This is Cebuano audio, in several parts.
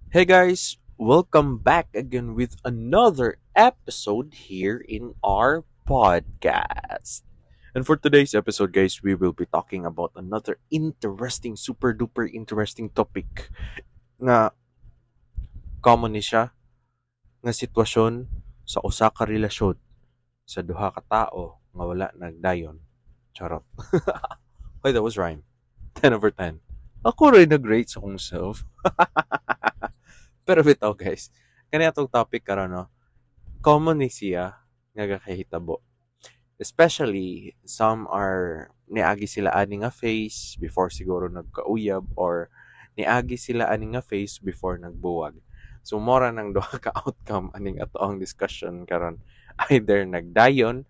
Hey guys, welcome back again with another episode here in our podcast. And for today's episode, guys, we will be talking about another interesting, super duper interesting topic nga common ni siya nga sitwasyon sa usa ka relasyon sa duha ka tawo nga wala nagdayon. Charot. Wait, that was rhyme. 10 over 10. Ako rin nag-rate sa akong self. Pero bitaw, guys, kani atong topic karon, no, common ni siya nga gakahitabo. Especially, some are niagi sila ani nga phase before siguro nagkauyab or niagi sila ani nga phase before nagbuwag. So, mora nang duha ka outcome aning ato ang discussion karon. Either nagdayon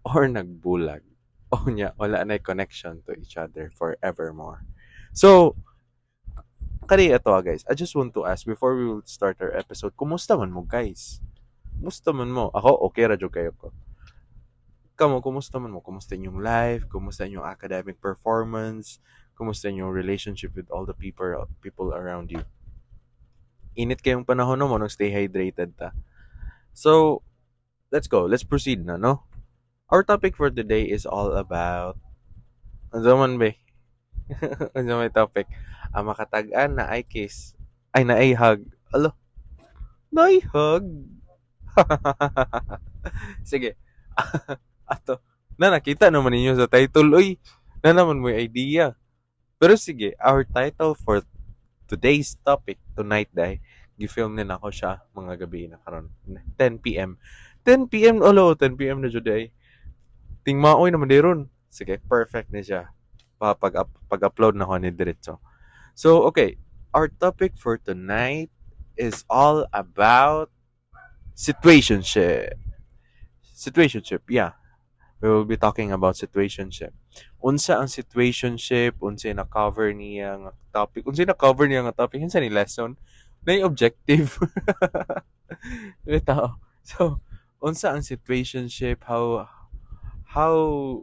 or nagbulag. O nya, wala na connection to each other forevermore. So, kani ato, guys, I just want to ask before we will start our episode, kumusta man mo, guys? Kumusta man mo? Ako, okay ra jud kayo ko. Kamo, kumusta man mo? Kumusta inyong life? Kumusta inyong academic performance? Kumusta inyong relationship with all the people around you? Init kayong panahon, no mo, nang stay hydrated ta. So, let's go. Let's proceed na, no? Our topic for today is all about, ano man ba? Ano may topic? Ang makatag-an naay kiss. Ay, naay hug. Alo? Naay hug? Sige. Ato. Na nakita naman ninyo sa title, uy. Na naman mo idea. Pero sige, our title for today's topic tonight dai, gi-film din ako siya mga gabi na karon. 10 p.m. 10 p.m. Olo, 10 p.m. na jud ay. Tingmaoy naman diron. Sige, perfect ni siya. Pa pag pag-upload na ko ni diretso. So, okay, our topic for tonight is all about situationship. Situationship, yeah. We will be talking about situationship. Unsa ang situationship, unsa na cover niya nga topic, unsa na cover niya nga topic, unsa ni lesson, na objective. Bitaw. So, unsa ang situationship, how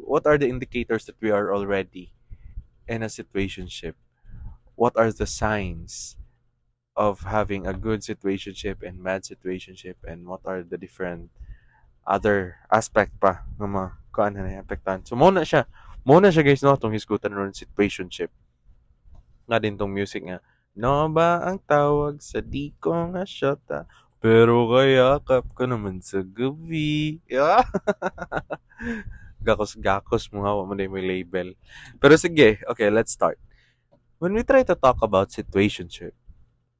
what are the indicators that we are already in a situationship? What are the signs of having a good situationship and bad situationship, and what are the different other aspect pa nga mga kuan na apektahan? So mo na siya. Mo na siya, guys, no, atong hisgutan ron, situationship. Nga din tong music nga no ba ang tawag sa di ko nga syota pero kayakap ko naman sa gabi. Yeah. Gakos gakos mo nga wa man may label. Pero sige, okay, let's start. When we try to talk about situationship,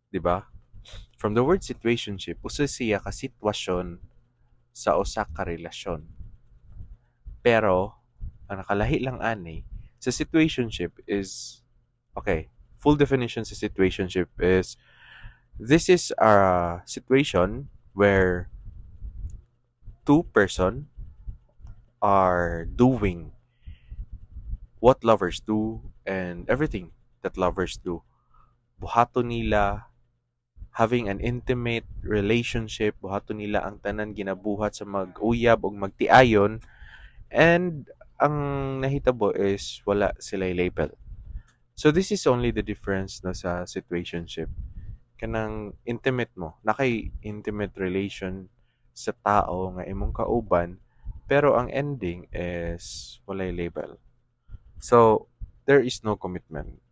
di ba? From the word situationship, usa siya ka sitwasyon sa usa ka relasyon. Pero ang nakalahi lang ani sa situationship is, okay, full definition sa situationship is this is a situation where two person are doing what lovers do and everything that lovers do. Buhaton nila having an intimate relationship, buhaton nila ang tanan ginabuhat sa mag-uyab o magtiayon, and ang nahitabo is wala sila label. So this is only the difference, no, sa situationship. Kanang intimate mo, nakay intimate relation sa tao nga imong kauban, pero ang ending is walay label. So there is no commitment.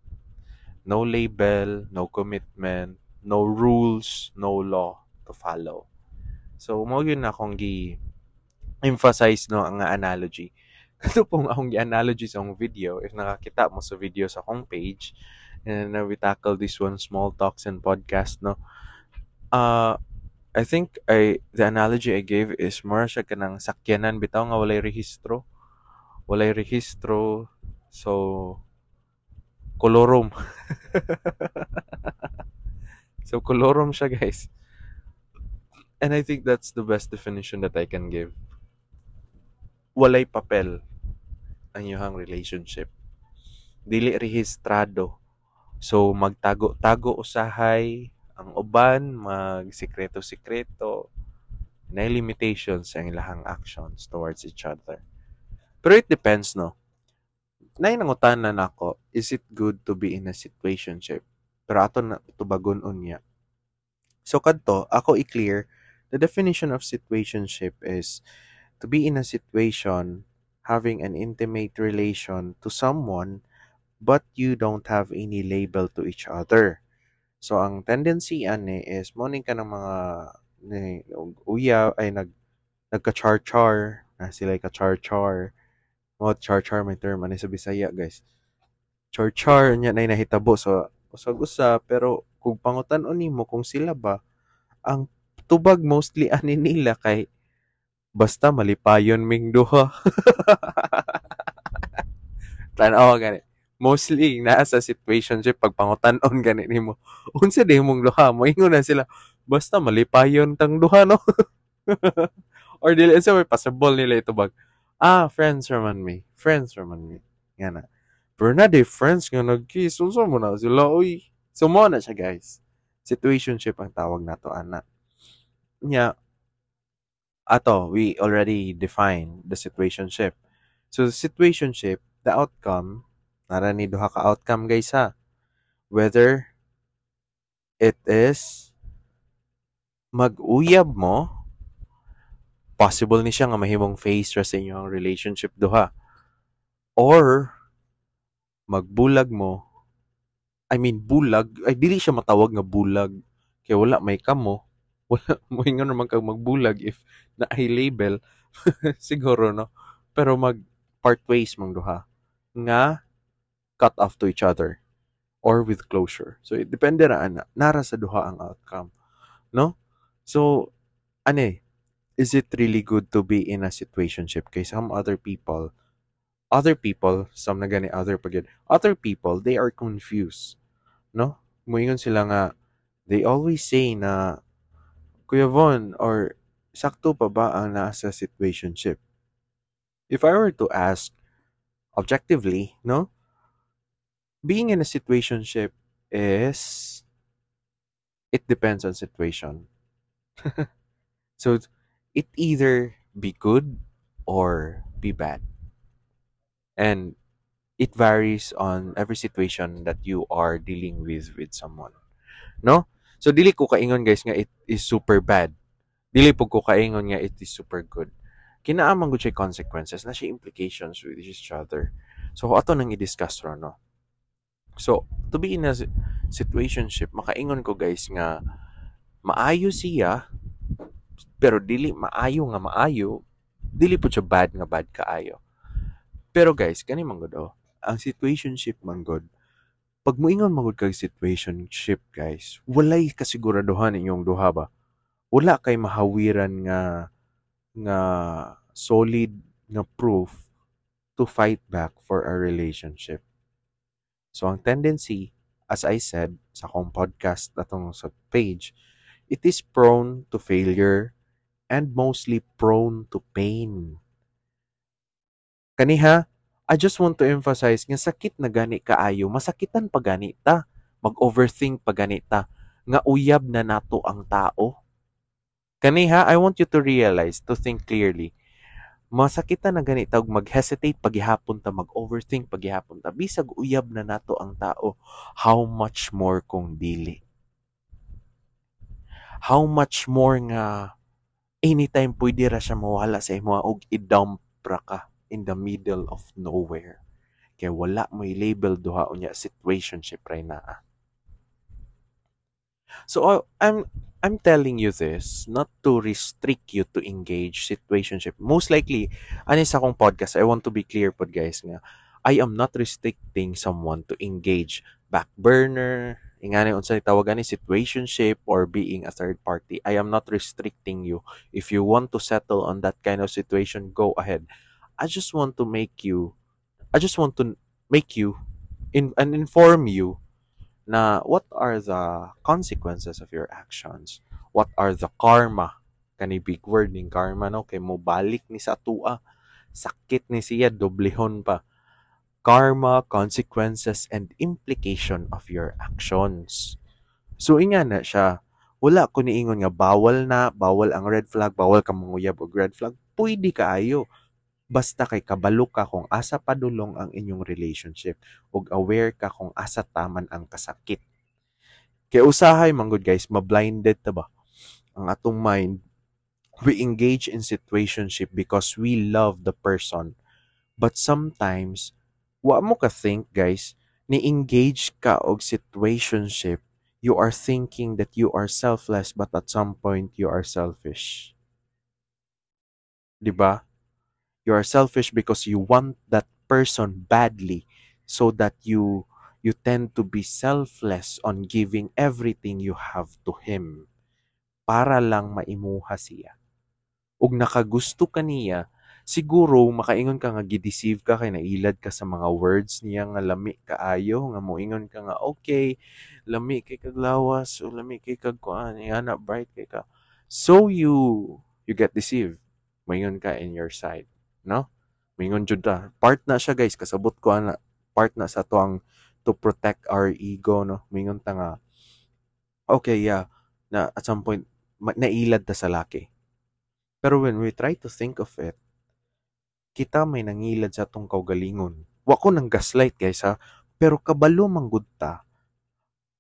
No label, no commitment, no rules, no law to follow. So mo yun na akong gi emphasize, no, ang analogy. Kato pong akong gi-analogy sa akong video, if nakakita mo sa video sa akong page, and we tackle this one, small talks and podcast, no. I think I the analogy I gave is more siya kanang sakyanan bitaw nga walay rehistro. Walay rehistro, so kolorom. So kolorom siya, guys. And I think that's the best definition that I can give. Walay papel ang inyong relationship. Dili rehistrado. So magtago-tago usahay ang uban, magsikreto-sikreto, na limitations ang ilahang actions towards each other. Pero it depends, no? Naay nangutana nako, is it good to be in a situationship? Pero ato na tubagon unya. So kadto, ako i-clear, the definition of situationship is to be in a situation having an intimate relation to someone but you don't have any label to each other. So ang tendency ani is mo ka ng mga ni uya ay nagka-char-char na sila, ka-char-char mo, char-char may term ani sa Bisaya, guys, char-char nya na nahitabo sa usag-usa. Pero kung pangutan-on nimo kung sila ba ang tubag mostly ani nila kay basta malipayon ming duha. Tan-aw gani. Mostly naa sa situationship, pag pangutan-on gani nimo, unsa di mong duha, moingon na sila, "Basta malipayon tang duha, no?" Or dili sa may possible nila itubag, "Ah, friends raman mi. Friends raman mi." Nga na. Pero na di friends nga nag-kiss, unsa mo na sila, uy. So mo na siya, guys. Situationship ang tawag nato ana. Nya, ato, we already define the situationship. So, the situationship, the outcome, nara ni duha ka outcome, guys, ha. Whether it is mag-uyab mo, possible ni siya nga mahimong phase ra sa inyong relationship duha. Or magbulag mo, I mean bulag, ay dili siya matawag nga bulag kay wala may kamo, wala mo ingon naman kag magbulag if naay label siguro, no? Pero mag part ways mong duha nga cut off to each other or with closure. So it depende ra ana, nara sa duha ang outcome, no? So ane, is it really good to be in a situationship? Kay some other people, other people, some na gani other pag other people, they are confused, no? Moingon sila nga they always say na, "Kuya Von, or sakto pa ba ang nasa situationship?" If I were to ask objectively, no? Being in a situationship is, it depends on situation. So it either be good or be bad. And it varies on every situation that you are dealing with someone. No? So dili ko kaingon, guys, nga it is super bad. Dili pud ko kaingon nga it is super good. Kinaa man gud siya consequences, na siya implications with each other. So ato nang i-discuss ron, no. So to be in a situationship, makaingon ko, guys, nga maayo siya pero dili maayo nga maayo, dili pud siya bad nga bad kaayo. Pero guys, kani man gud oh, ang situationship man gud, pag moingon man gud kag situationship, guys, walay kasiguraduhan inyong duha ba. Wala kay mahawiran nga solid nga proof to fight back for a relationship. So ang tendency, as I said sa akong podcast atong sa page, it is prone to failure and mostly prone to pain. Kaniha, I just want to emphasize nga sakit na gani kaayo, masakitan pa gani ta, mag-overthink pa gani ta, nga uyab na nato ang tao. Kaniha, I want you to realize, to think clearly. Masakitan na gani ta ug mag-hesitate pagihapon ta, mag-overthink pagihapon ta. Bisag uyab na nato ang tao, how much more kung dili? How much more nga anytime pwede ra siya mawala sa imo og i-dump ra ka in the middle of nowhere. Kay wala mo'y label duha, unya situationship ray naa. So I'm telling you this not to restrict you to engage situationship. Most likely, ani sa akong podcast, I want to be clear pod, guys, nga I am not restricting someone to engage back burner, ingani unsa tawag ani, situationship or being a third party. I am not restricting you. If you want to settle on that kind of situation, go ahead. I just want to make you in and inform you na what are the consequences of your actions? What are the karma? Kani big word ning karma, no, kay mo balik ni sa atua. Sakit ni siya doblehon pa. Karma, consequences and implication of your actions. So inga na siya. Wala ko niingon nga bawal na, bawal ang red flag, bawal ka manguyab og red flag. Pwede kaayo. Basta kay kabalo ka kung asa padulong ang inyong relationship ug aware ka kung asa taman ang kasakit. Kay usahay man gud, guys, ma-blinded ta ba? Ang atong mind, we engage in situationship because we love the person. But sometimes, wa mo ka think, guys, ni-engage ka og situationship, you are thinking that you are selfless, but at some point you are selfish. 'Di ba? You are selfish because you want that person badly so that you tend to be selfless on giving everything you have to him para lang maimuha siya. Ug nakagusto ka niya, siguro makaingon ka nga gi-deceive ka kay nailad ka sa mga words niya nga lami kaayo, nga moingon ka nga okay, lami kay kag lawas o lami kay kag kuan, ana, bright kay ka. So you get deceived. Moingon ka in your side, no? Moingon jud ta. Part na siya, guys, kasabot ko ana, part na sa to ang to protect our ego, no? Moingon ta nga okay, yeah, na at some point nailad ta sa laki. Pero when we try to think of it, kita may nangilad sa atong kaugalingon. Wa ko nang gaslight, guys, ha, pero kabalo man gud ta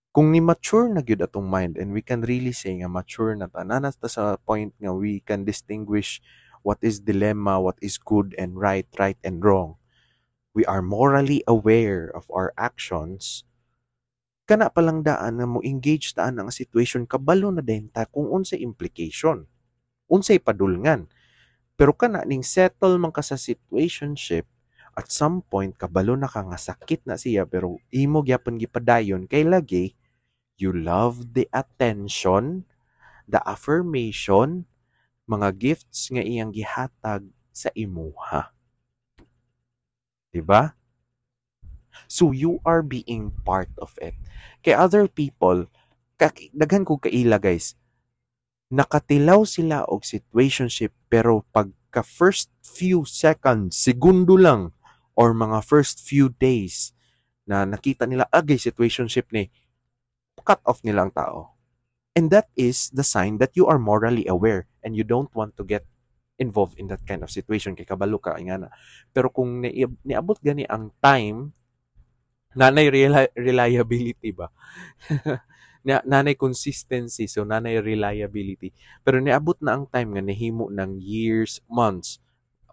kung ni mature na gyud atong mind and we can really say nga mature na ta, naa na ta sa point nga we can distinguish what is dilemma, what is good and right, right and wrong. We are morally aware of our actions. Kana pa lang daan nga mo engage ta ang situation, kabalo na din ta kung unsay implication, unsay padulngan. Pero kana ning settle man ka sa situationship, at some point kabalo na ka nga sakit na siya, pero imo gyapon gipadayon kay lagi you love the attention, the affirmation, mga gifts nga iyang gihatag sa imuha. Diba? So you are being part of it. Kay other people, daghan kog kaila, guys, nakatilaw sila og situationship, pero pagka first few seconds, segundo lang, or mga first few days na nakita nila, agay, situationship ni, cut off nila ang tao. And that is the sign that you are morally aware and you don't want to get involved in that kind of situation kay kabalo ka nga na. Pero kung niabot gani ang time, nanay reliability ba? Nanay consistency, so nanay reliability. Pero niabot na ang time nga nahimo ng years, months,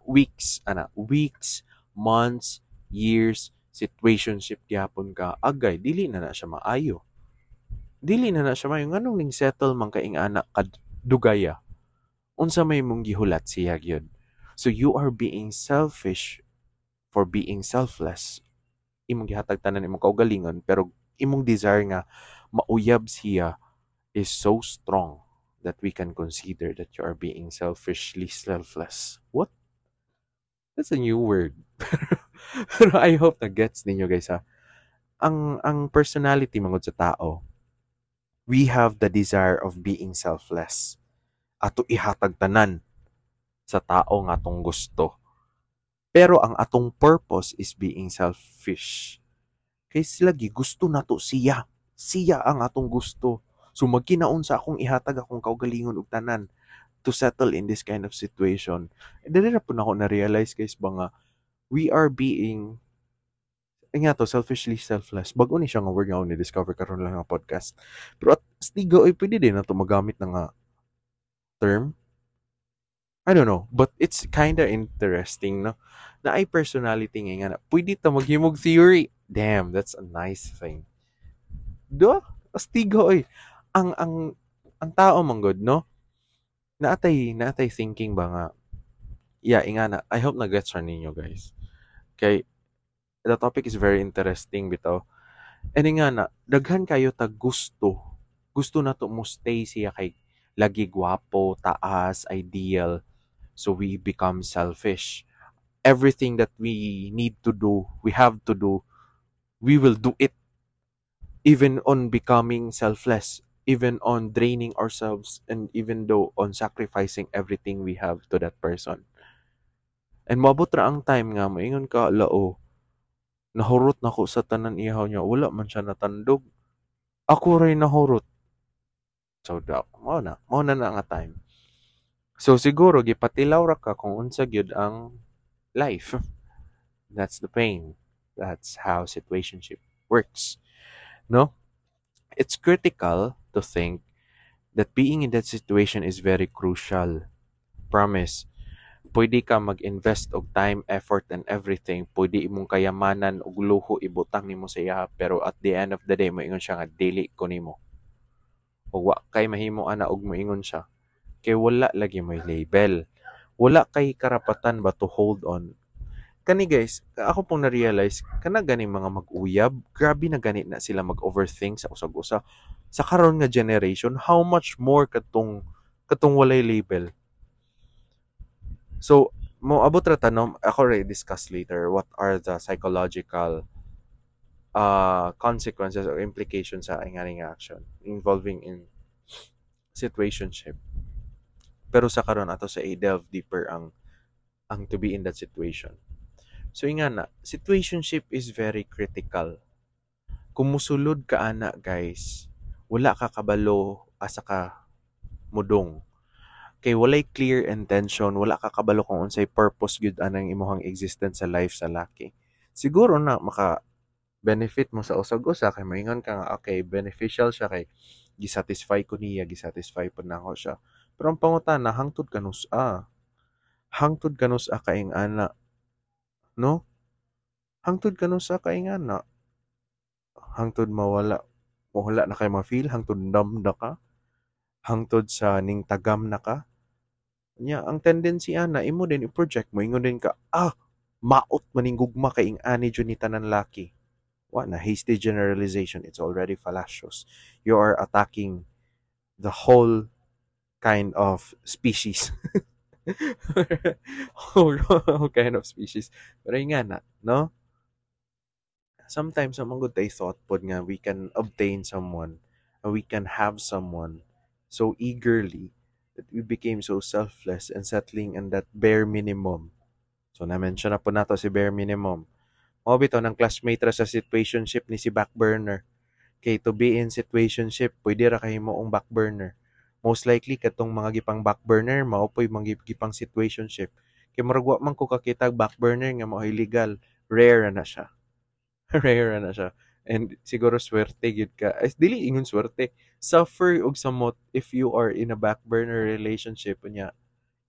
weeks, ana, weeks, months, years, situationship gyapon ka, agay, dili na na siya maayo. Dili na na siya maayo. Nganong ning settle man ka ing-ana kad dugaya? Unsa may mong gihulat siya gyud? So you are being selfish for being selfless. Imong gihatag tanan imong kaugalingon, pero imong desire nga mauyab siya is so strong that we can consider that you are being selfishly selfless. What? That's a new word. Pero I hope na gets ninyo, guys, ha. Ang personality mangod sa tao, we have the desire of being selfless. Ato ihatag tanan sa tao nga atong gusto. Pero ang atong purpose is being selfish. Kay lagi gusto nato siya. Siya ang atong gusto. So magkinaon sa akong ihatag akong kaugalingon og tanan to settle in this kind of situation. Dili ra pud nako na-realize, guys, ba nga we are being ay nga to, selfishly selfless. Bag-o ni siya nga word nga ako ni-discover karon lang nga podcast. Pero at stigo ay pwede din na to magamit na nga term. I don't know, but it's kinda interesting, no? Na ay personality nga nga na, pwede ta maghimog theory. Damn, that's a nice thing. Do? Astigo oy. Ang tao man gud, no? Naatay thinking ba nga, yeah, ingana, I hope na gets ninyo, guys. Kay the topic is very interesting bitaw. And nga na, daghan kayo tag gusto. Gusto na to mo stay siya kay lagi gwapo, taas, ideal. So we become selfish. Everything that we need to do, we have to do, we will do it. Even on becoming selfless, even on draining ourselves, and even though on sacrificing everything we have to that person. And moabot ra ang time nga moingon ka, "Lao, nahurot na ko sa tanan ihaw niya, wala man siya natandog. Ako ray nahurot." So da, mao na nga time. So siguro gipatilaw ra ka kung unsa gyud ang life. That's the pain. That's how situationship works. No? It's critical to think that being in that situation is very crucial. Promise. Pwede ka mag-invest og time, effort, and everything. Pwede imong kayamanan ug luho ibutang nimo sa iya, pero at the end of the day, moingon siya nga dili ko nimo. Ug wa kay mahimo ana og moingon siya. Kay wala lagi may label. Wala kay karapatan ba to hold on. Kani guys, ako pong na-realize, kana gani mga mag-uyab, grabe na gani na sila mag-overthink sa usag-usa. Sa karon nga generation, how much more katong walay label? So, mo abot ra tanom, ako ra discuss later what are the psychological consequences or implications sa ingani nga action involving in situationship. Pero sa karon, ato sa i-delve deeper ang to be in that situation. So ingana, situationship is very critical. Kung musulod ka ana guys, wala ka kabalo asa ka mudong. Kay walay clear intention, wala ka kabalo kung unsay purpose gyud anang imong existence sa life sa laki. Siguro na maka benefit mo sa usag-usa kay moingon ka nga okay, beneficial siya kay gisatisfy ko niya, gisatisfy pud nako siya. Pero ang pangutana, hangtod kanus-a? Hangtod kanus-a ka ing-ana? No? Hangtod kanus-a ka ing-ana? Hangtod mawala, wala na kay ma-feel, hangtod numb na ka, hangtod sa ning tagam na ka. Nya, ang tendency ana, imo din i-project mo, ingon din ka, "Ah, maot maning gugma kay ing-ani jud ni tanan laki." Wa na, hasty generalization, it's already fallacious. You are attacking the whole kind of species. Whole kind of species. Pero yun nga na, no? Sometimes, ang good thought pod nga we can obtain someone, we can have someone so eagerly that we became so selfless and settling in that bare minimum. So, na-mention na po nato si bare minimum. Mao bitaw ng classmate ra sa situationship ni si backburner. Kay to be in situationship, pwede ra kahimo ang backburner. Most likely katong mga gipang backburner mao poy mga gipang situationship. Kay murag wa man ko kakita backburner nga mao legal. Rare na siya. Rare na siya. And siguro swerte gyud ka. Ay, dili ingon swerte. Suffer og samot if you are in a backburner relationship, unya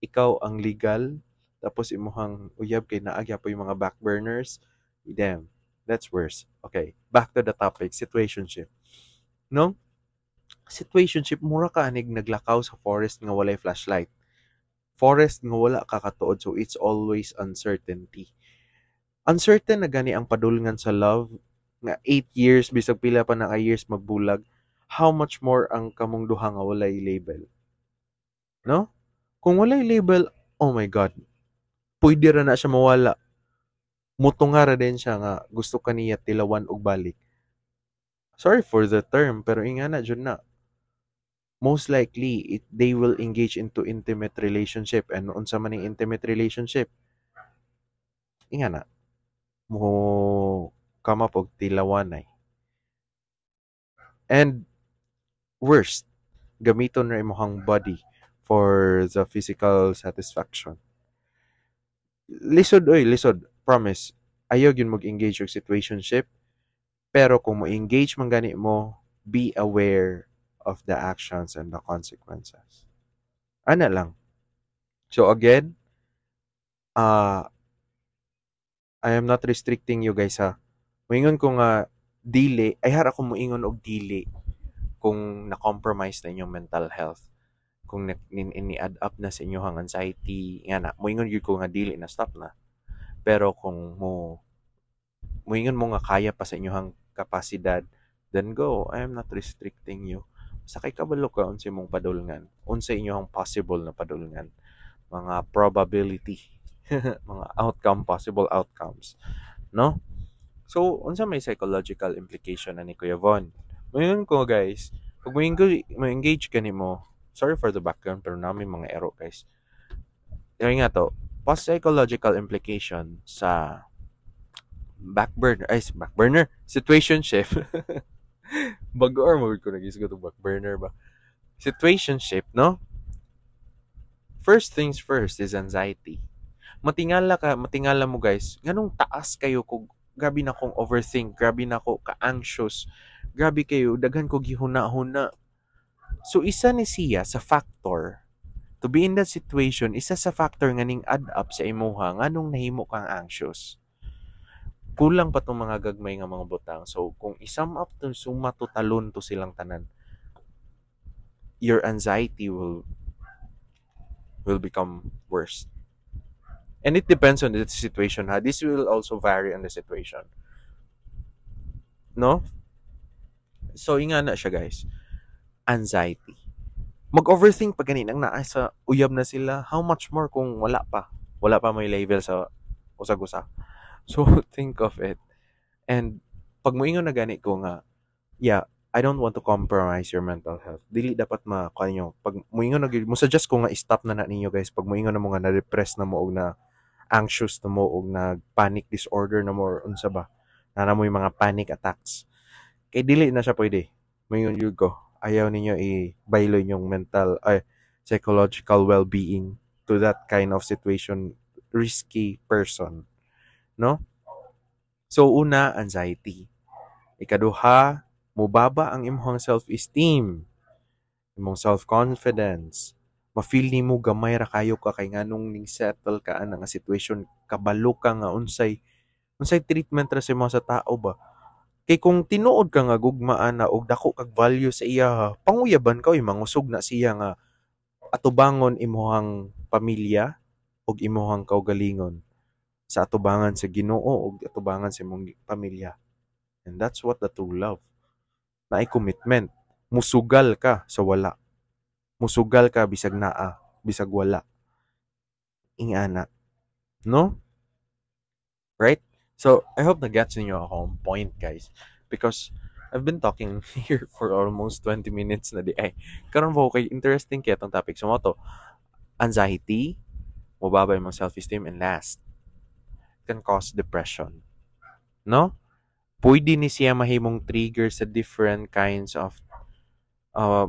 ikaw ang legal tapos imuhang uyab kay naa gyapoy mga backburners. Damn, that's worse. Okay, back to the topic, situationship. No? Situationship, mura ka anig naglakaw sa forest nga walay flashlight. Forest nga wala ka katuod, so it's always uncertainty. Uncertain na gani ang padulngan sa love nga 8 years, bisag pila pa na ka years magbulag, how much more ang kamong duha nga walay label? No? Kung walay label, oh my God, pwede ra na siya mawala. Mutunga ra din siya nga gusto ka niya tilawan og balik. Sorry for the term, pero ingana jud na. Most likely, they will engage into intimate relationship, and unsa man ning intimate relationship? Ingana. Mo come up og tilawanay. And worst, gamiton ra imong body for the physical satisfaction. Lisod oy, lisod. Promise. Ayaw gyud mag-engage og situationship. Pero kung mo-engage man gani mo, be aware of the actions and the consequences. Ana lang. So again, I am not restricting you guys ha. Moingon ko nga dili, ay hara ko moingon og dili kung na-compromise na inyong mental health. Kung ni-add up na sa inyong anxiety, nga na, moingon gyud ko nga dili na, stop na. Pero kung mo moingon mo nga kaya pa sa inyong kapasidad, then go. I am not restricting you. Sa kay kabalo ka unsa imong padulngan, unsa inyong possible na padulngan, mga probability, mga outcome, possible outcomes, no? So, unsa may psychological implication na ni Kuya Von? Moingon ko guys, pag mo-engage ka nimo, sorry for the background pero namin mga ero guys. Yung nga to, post psychological implication sa backburner, ay, backburner, situationship. Bago or mo ko nag-isgot og backburner ba? Situationship, no? First things first is anxiety. Matingala ka, matingala mo guys, nganong taas kayo kung grabe na kong overthink, grabe na ko ka-anxious, Grabe kayo, daghan ko gihuna-huna. So isa ni siya sa factor to be in that situation, isa sa factor nga ning add up sa imuha nganong nahimo kang anxious. Kulang pa tong mga gagmay nga mga butang. So kung i-sum up to, suma to, talon to silang tanan, your anxiety will become worse. And it depends on the situation, ha. This will also vary on the situation. No? So, ingana siya, guys. Anxiety. Mag-overthink pa gani nang naa sa uyab na sila, how much more kung wala pa? Wala pa may label sa usag-usa. So, think of it. And pag moingon na gani ko nga, yeah, I don't want to compromise your mental health. Dili dapat ma kanyo. Pag moingon na mo suggest ko nga stop na na ninyo, guys. Pag moingon na mo nga na-depress na mo og na anxious na mo og na panic disorder na mo or unsa ba. Naa mo yung mga panic attacks. Kay dili na siya pwede. Moingon jud ko. Ayaw ninyo i-baylo inyong mental ay psychological well-being to that kind of situation, risky person. No? So una, anxiety. Ikaduha, mubaba ang imong self-esteem, imong self-confidence. Ma-feel nimo gamay ra kayo ka kay nganong ning settle ka ana nga situation, kabalo ka nga unsay unsay treatment ra sa imo sa tao ba. Kay kung tinuod ka nga gugma ana og dako kag value sa iya, panguyaban ka oy, mangusog na siya nga atubangon imuhang pamilya ug imuhang kaugalingon sa atubangan sa Ginoo ug atubangan sa imong pamilya. And that's what the true love. Naay commitment. Musugal ka sa wala. Musugal ka bisag naa, bisag wala. Ingana. No? Right? So, I hope na-gets ninyo akong point, guys. Because I've been talking here for almost 20 minutes na diay. Karon po kay interesting kay atong topic. So, mao to, anxiety, mubaba imong self-esteem, and last, can cause depression. No? Pwede ni siya mahimong trigger sa different kinds of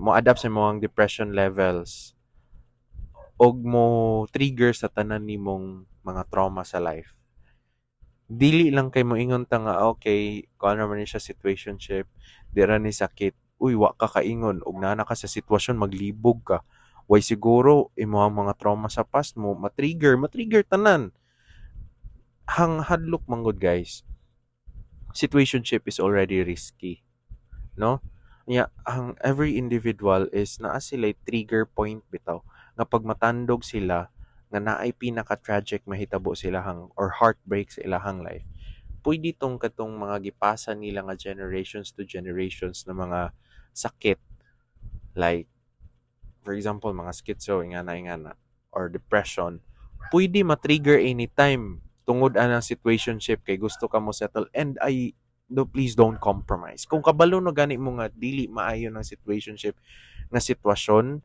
mo adapt sa imong depression levels og mo trigger sa tanan nimong mga trauma sa life. Dili lang kay moingon ta nga okay, kuan ra man ni siya, situationship, di ra ni sakit. Uy, wa ka kaingon og naa na ka sa sitwasyon, maglibog ka. Way siguro imong mga trauma sa past mo ma-trigger tanan. Hang hadlok manggod, guys. Situationship is already risky. No? Nya ang every individual is naa sila trigger point bitaw nga pag matandog sila nga naay pinaka tragic mahitabo silahang or heartbreak sa ilahang life. Pwede tong katong mga gipasa nila nga generations to generations na mga sakit, like for example mga schizo, ingana ingana, or depression, pwede ma-trigger anytime tungod anang situationship kay gusto ka mo settle. And I no, please don't compromise. Kung kabalo no gani mo nga dili maayo ng situationship nga sitwasyon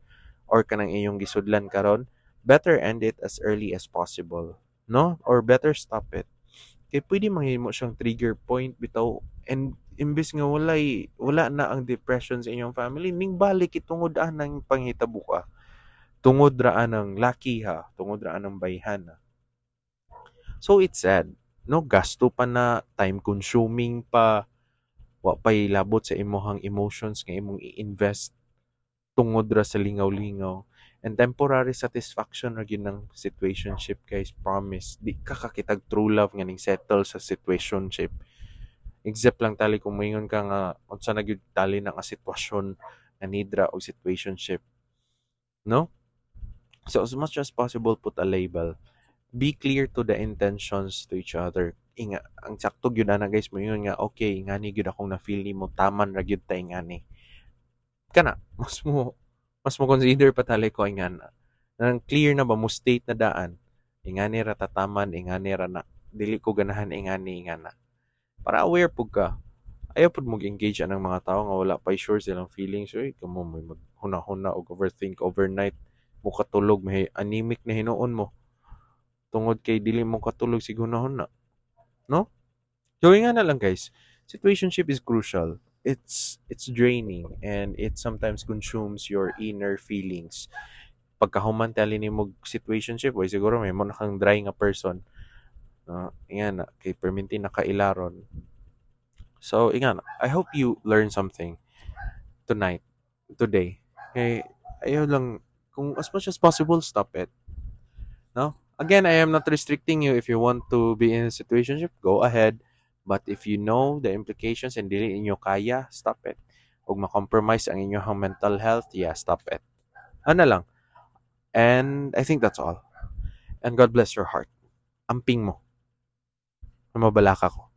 or kanang iyong gisudlan karon, better end it as early as possible, no? Or better stop it. Kay pwede mahimo siyang trigger point bitaw, and imbes nga wala na ang depression sa inyong family, ning balik itungod anang panghitabo ka. Tungod ra anang laki ha, tungod ra anang bayhan. So it's sad, no? Gasto pa na, time consuming pa, wa pa'y labot sa imuhang emotions nga imong i-invest tungod ra sa lingaw-lingaw. And temporary satisfaction ra gyud ng situationship, guys, promise. Di ka kakitag true love nga ning settle sa situationship. Except lang tali kung moingon ka nga unsa na gyud tali na nga sitwasyon nga need ra og situationship. No? So as much as possible, put a label. Be clear to the intentions to each other. Inga, ang sakto gyud ana, guys, moingon nga okay, ingani gyud akong na-feel nimo, taman ra gyud ta ingani. Kana, mas mo consider pa tali ko ingana. Nang clear na ba mo state na daan. Ingani ra tataman, ingani ra na. Dili ko ganahan ingani ingana. Para aware pud ka. Ayaw pud mo engage anang mga tao nga wala pa sure silang feelings. Uy, kamo mo maghuna-huna og overthink overnight mo katulog, may anemic na hinuon mo tungod kay dili mo katulog sig huna-huna. No? So nga na lang, guys, situationship is crucial. It's draining and it sometimes consumes your inner feelings. Pagkahuman tali nimo situationship, way siguro may mo na kang dry nga person. Nga na kay perminti nakailaron. So, ingana, I hope you learn something tonight, today. Okay, ayaw lang, kung as much as possible, stop it. No? Again, I am not restricting you. If you want to be in a situationship, go ahead. But if you know the implications and dili inyo kaya, stop it. Ug ma-compromise ang inyong mental health, yeah, stop it. Ana lang. And I think that's all. And God bless your heart. Amping mo. Mabalaka ko.